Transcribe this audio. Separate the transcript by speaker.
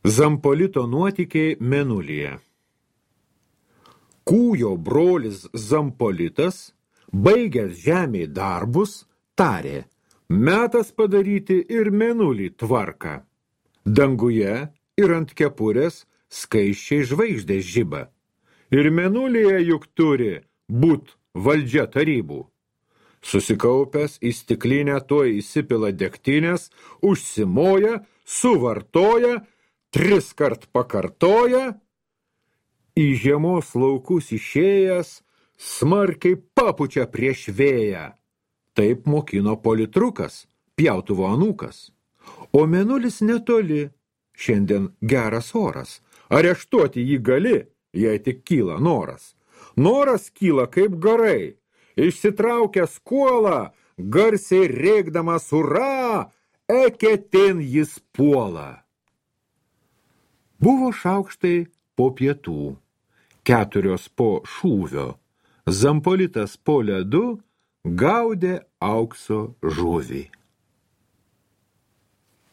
Speaker 1: Zampolito nuotykiai Mėnulyje. Kūjo brolis Zampolitas, baigęs žemėj darbus, tarė, metas padaryti ir Mėnulį tvarką. Danguje ir ant kepurės skaisčiai žvaigždės žiba. Ir Mėnulyje juk turi būt valdžia tarybų. Susikaupęs į stiklinę tuoj įsipila degtinės, užsimoja, suvartoja, 3 kart pakartoja, į žiemos laukus išėjęs, smarkiai papučia prieš vėją. Taip mokino politrukas, pjautuvo anūkas. O Mėnulis netoli, šiandien geras oras. Areštuoti jį gali, jei tik kyla noras. Noras kyla kaip garai. Išsitraukęs kuolą, garsiai rėkdamas ura, eketin jis puola. Buvo šaukštai po pietų, 4 po šūvio. Zampolitas po ledu gaudė aukso žuvį.